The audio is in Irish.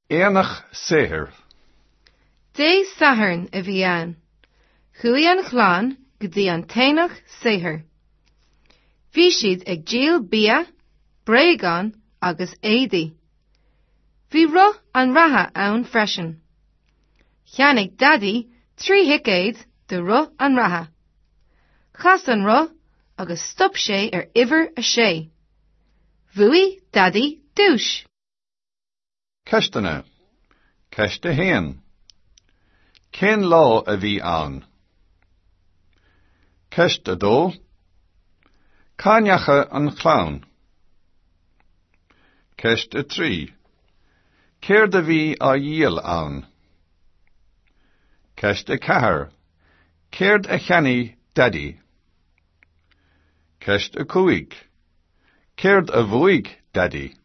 Aonach saothair. Dé Sathairn a bhí ann. Chuaigh an chlann go dtí an t-aonach saothair. Bhí siad ag díol bia, bréagáin agus éadaí. Bhí roth an reatha ann freisin. Cheannaigh Daidí 3 thicéad do roth an reatha. Chas an roth agus stop sé ar uimhir 6. Bhuaigh Daidí duais. Ceisteanna. Ceist 1. Cén lá a bhí ann? Ceist 2. Cá ndeachaigh an chlann? Ceist 3. Céard a bhí á dhíol ann? Ceist 4. Céard a cheannaigh Daidí? Ceist 5. Céard a bhuaigh Daidí?